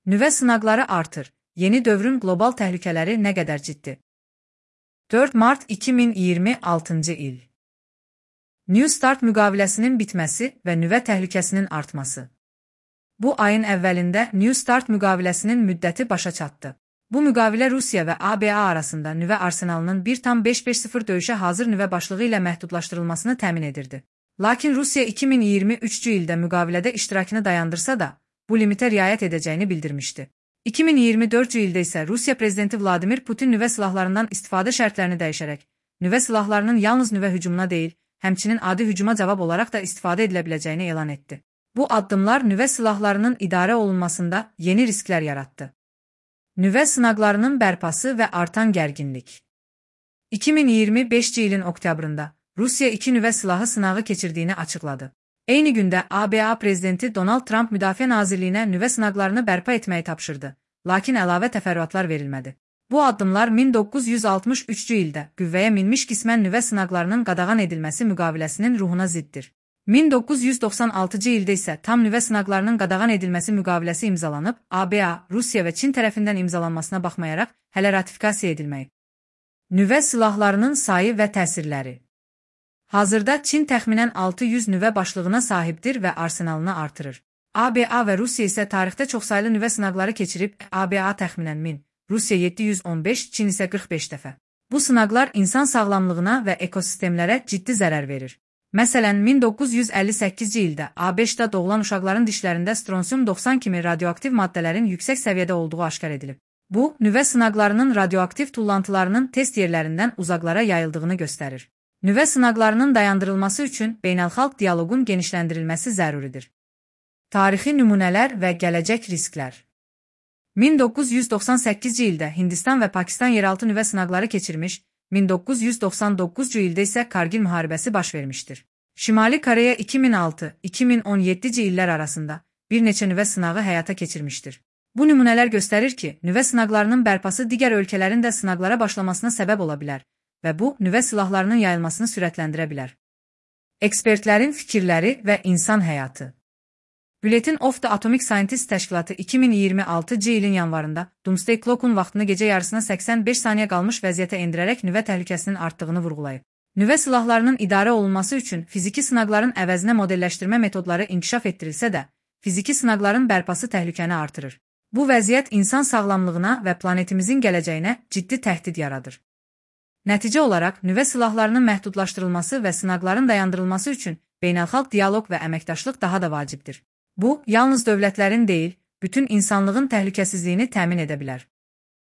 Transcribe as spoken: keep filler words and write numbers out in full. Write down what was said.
Nüvə sınaqları artır. Yeni dövrün qlobal təhlükələri nə qədər ciddi? dörd mart iki min iyirmi altıncı il. New START müqaviləsinin bitməsi və nüvə təhlükəsinin artması. Bu ayın əvvəlində New START müqaviləsinin müddəti başa çatdı. Bu müqavilə Rusiya və A B A arasında nüvə arsenalının bir tam beş beş sıfır döyüşə hazır nüvə başlığı ilə məhdudlaşdırılmasını təmin edirdi. Lakin Rusiya iki min iyirmi üçüncü ildə müqavilədə iştirakını dayandırsa da, bu limitə riayət edəcəyini bildirmişdi. iki min iyirmi dördüncü ildə isə Rusiya prezidenti Vladimir Putin nüvə silahlarından istifadə şərtlərini dəyişərək, nüvə silahlarının yalnız nüvə hücumuna deyil, həmçinin adi hücuma cavab olaraq da istifadə edilə biləcəyini elan etdi. Bu addımlar nüvə silahlarının idarə olunmasında yeni risklər yaratdı. Nüvə sınaqlarının bərpası və artan gərginlik. iki min iyirmi beşinci ilin oktyabrında Rusiya iki nüvə silahı sınağı keçirdiyini açıqladı. Eyni gündə A B A prezidenti Donald Trump Müdafiə Nazirliyinə nüvə sınaqlarını bərpa etməyi tapşırdı, lakin əlavə təfərrüatlar verilmədi. Bu addımlar min doqquz yüz altmış üçüncü ildə qüvvəyə minmiş qismən nüvə sınaqlarının qadağan edilməsi müqaviləsinin ruhuna ziddir. min doqquz yüz doxsan altıncı ildə isə tam nüvə sınaqlarının qadağan edilməsi müqaviləsi imzalanıb, A B A, Rusiya və Çin tərəfindən imzalanmasına baxmayaraq hələ ratifikasiya edilməyib. Nüvə silahlarının sayı və təsirləri. Hazırda Çin təxminən altı yüz nüvə başlığına sahibdir və arsenalını artırır. A B A və Rusiya isə tarixdə çoxsaylı nüvə sınaqları keçirib, A B A təxminən min, Rusiya yeddi yüz on beş, Çin isə qırx beş dəfə. Bu sınaqlar insan sağlamlığına və ekosistemlərə ciddi zərər verir. Məsələn, min doqquz yüz əlli səkkizinci ildə A B Ş-da doğulan uşaqların dişlərində stronsium doxsan kimi radioaktiv maddələrin yüksək səviyyədə olduğu aşkar edilib. Bu, nüvə sınaqlarının radioaktiv tullantılarının test yerlərindən uzaqlara yayıldığını göstərir. Nüvə sınaqlarının dayandırılması üçün beynəlxalq dialoqun genişləndirilməsi zəruridir. Tarixi nümunələr və gələcək risklər. min doqquz yüz doxsan səkkizinci ildə Hindistan və Pakistan yeraltı nüvə sınaqları keçirmiş, min doqquz yüz doxsan doqquzuncu ildə isə Kargil müharibəsi baş vermişdir. Şimali Koreya iki min altı iki min on yeddinci illər arasında bir neçə nüvə sınağı həyata keçirmişdir. Bu nümunələr göstərir ki, nüvə sınaqlarının bərpası digər ölkələrin də sınaqlara başlamasına səbəb ola bilər və bu, nüvə silahlarının yayılmasını sürətləndirə bilər. Ekspertlərin fikirləri və insan həyatı. Bulletin of the Atomic Scientists təşkilatı iki min iyirmi altıncı ilin yanvarında Doomsday Clock'un vaxtını gecə yarısına səksən beş saniyə qalmış vəziyyətə endirərək nüvə təhlükəsinin artdığını vurğulayıb. Nüvə silahlarının idarə olunması üçün fiziki sınaqların əvəzinə modelləşdirmə metodları inkişaf etdirilsə də, fiziki sınaqların bərpası təhlükəni artırır. Bu vəziyyət insan sağlamlığına və planetimizin gələcəyinə ciddi təhdid yaradır. Nəticə olaraq, nüvə silahlarının məhdudlaşdırılması və sınaqların dayandırılması üçün beynəlxalq dialoq və əməkdaşlıq daha da vacibdir. Bu, yalnız dövlətlərin deyil, bütün insanlığın təhlükəsizliyini təmin edə bilər.